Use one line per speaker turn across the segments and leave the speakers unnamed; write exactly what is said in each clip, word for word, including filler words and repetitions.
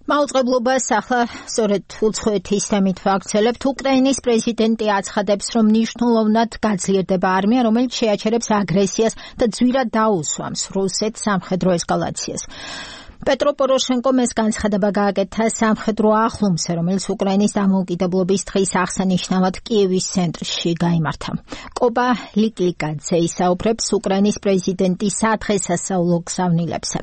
მაუწყებლობას ახლა სწორედ უცხოეთის თემით ვაგრძელებთ. უკრაინის პრეზიდენტი აცხადებს, რომ მნიშვნელოვნად გაძლიერდება არმია, რომელიც შეაჩერებს აგრესიას და ძვირად დაუსვამს რუსეთს სამხედრო ესკალაციას. პეტრო პოროშენკომ ეს განცხადება გააკეთა სამხედრო ახლომზე, რომელიც უკრაინის დამოუკიდებლობის დღის აღსანიშნავად კიევის ცენტრში გაიმართა. კობა ლიკლიკაძე ისაუბრებს უკრაინის პრეზიდენტის სადღესასწაულო გზავნილებზე.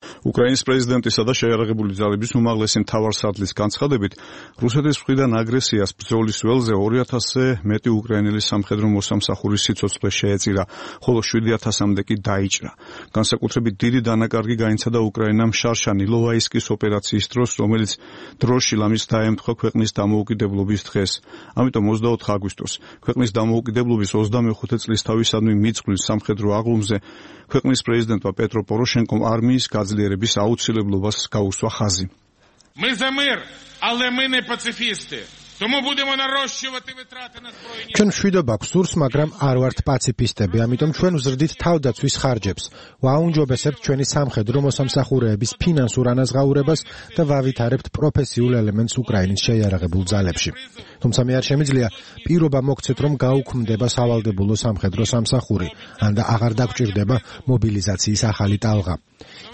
უკრაინის პრეზიდენტისა და შეიარაღებული ძალების უმაღლესი მთავარსარდლის განცხადებით, რუსეთის მხრიდან აგრესიას ბრძოლის ველზე ორი ათასზე მეტი უკრაინელი სამხედრო მოსამსახურის სიცოცხლე შეეწირა, ხოლო შვიდი ათასამდე კი დაიჭრა. განსაკუთრებით დიდი დანაკარგი გაინცადა უკრაინამ შარშან ილოვაისკის ოპერაციის დროს, რომელიც დროში ლამის დაემთხვა ქვეყნის დამოუკიდებლობის დღეს. ამიტომ ოცდაოთხ აგვისტოს, ქვეყნის დამოუკიდებლობის ოცდამეხუთე წლისთავისადმი მიძღვრილ სამხედრო აღლუმზე ქვეყნის პრეზიდენტმა პეტრო პოროშენკომ არმიის გაძლიერების აუცილებლობას გაუსვა ხაზი.
Ми за мир, але ми не пацифісти. Тому будемо нарощувати витрати на збройні.
ჩვენ მშვიდობა გვსურს, მაგრამ არ ვართ პაციფისტები, ამიტომ ჩვენ ვზრდით თავდაცვის ხარჯებს. ვაუნჯობესებთ ჩვენი სამხედრო მოსამსახურეების ფინანსურ ანაზღაურებას და ვავითარებთ პროფესიულ ელემენტს უკრაინის შეიარაღებულ ძალებში. თუმცა მე არ შემიძლია პირობა მოგცეთ, რომ გაუქმდება სავალდებულო სამხედრო სამსახური, ან და აღარ დაგჭირდება მობილიზაციის ახალი ტალღა.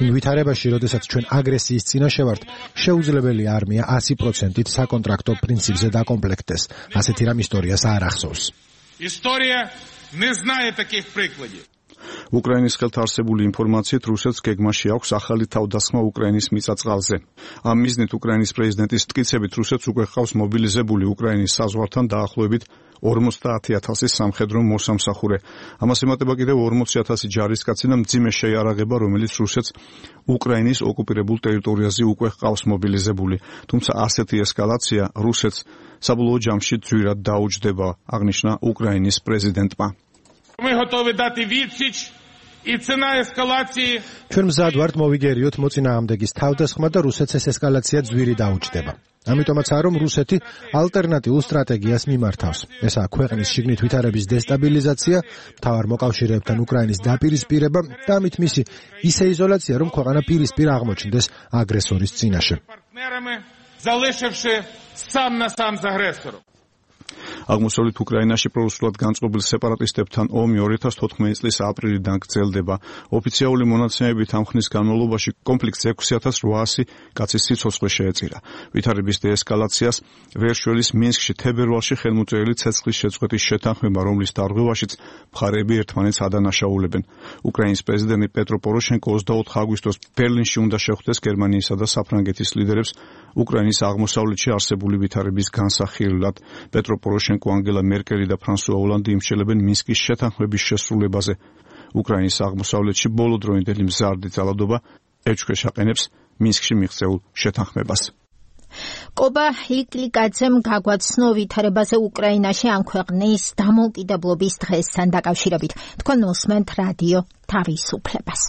იმ ვითარებაში, როდესაც ჩვენ აგრესიის წინაშე ვართ, შეუძლებელი არმია ასი პროცენტით საკონტრაქტო პრინციპზე დაკომპლექტდეს. ასეთი რამ ისტორიას არ ახსოვს.
Історія не знає таких прикладів.
უკრაინის ხელთ არსებული ინფორმაციით რუსეთს გეგმაში აქვს ახალი თავდასხმა უკრაინის მიწა-წყალზე. ამ მიზნით უკრაინის პრეზიდენტის მტკიცებით რუსეთს უკვე ჰყავს მობილიზებული უკრაინის საზღვართან დაახლოებით ორმოცდაათი ათასი სამხედრო მოსამსახურე. ამას ემატება კიდევ ორმოცი ათასი ჯარისკაცი და მძიმე შეიარაღება, რომელიც რუსეთს უკრაინის ოკუპირებულ ტერიტორიაზე უკვე ჰყავს მობილიზებული. თუმცა ასეთი ესკალაცია რუსეთს საბოლოო ჯამში ძვირად დაუჯდება, აღნიშნა უკრაინის პრეზიდენტმა.
Ми готові дати відсіч, і ціна ескалації.
ჩვენ მზად ვართ მოვიგერიოთ მოწინააღმდეგის თავდასხმა და რუსეთს ეს ესკალაცია ძვირი დაუჯდება. ამიტომაცაა, რომ რუსეთი ალტერნატიულ სტრატეგიას მიმართავს. ესაა ქვეყნის შიგნით ვითარების დესტაბილიზაცია, მთავარ მოკავშირეებთან უკრაინის დაპირისპირება და ამით მისი ისე იზოლაცია, რომ ქვეყანა პირისპირ აღმოჩნდეს აგრესორის წინაშე.
Партнерами, залишивши сам на сам з агресором.
აღმოსავლეთ უკრაინაში პრორუსულად განწყობილ სეპარატისტებთან ომი ორი ათას თოთხმეტი წლის აპრილიდან გრძელდება. ოფიციალური მონაცემებით ამ ხნის განმავლობაში კონფლიქტს ექვსი ათას რვაასი კაცის სიცოცხლე შეეწირა. ვითარების დეესკალაციას ვერ შველის მინსკში თებერვალში ხელმოწერილი ცეცხლის შეწყვეტის შეთანხმება, რომლის დარღვევაშიც მხარეები ერთმანეთს ადანაშაულებენ. უკრაინის პრეზიდენტი პეტრო პოროშენკო ოცდაოთხ აგვისტოს ბერლინში უნდა შეხვდეს გერმანიისა და საფრანგეთის ლიდერებს უკრაინის აღმოსავლეთში არსებული ვითარების განსახილვად. პეტრო პოროშენკო, ანგელა მერკელი და ფრანსუა ოლანდი იმსჯელებენ მინსკის შეთანხმების შესრულებაზე. უკრაინის აღმოსავლეთში ბოლოდროინდელი მზარდი ძალადობა ეჭვქვეშ აყენებს მინსკში მიღწეულ შეთანხმებას.
კობა ლიკლიკაძემ გაგვაცნო ვითარებაზე უკრაინაში ამ ქვეყნის დამოუკიდებლობის დღესთან დაკავშირებით. თქვენ უსმენთ რადიო თავისუფლებას.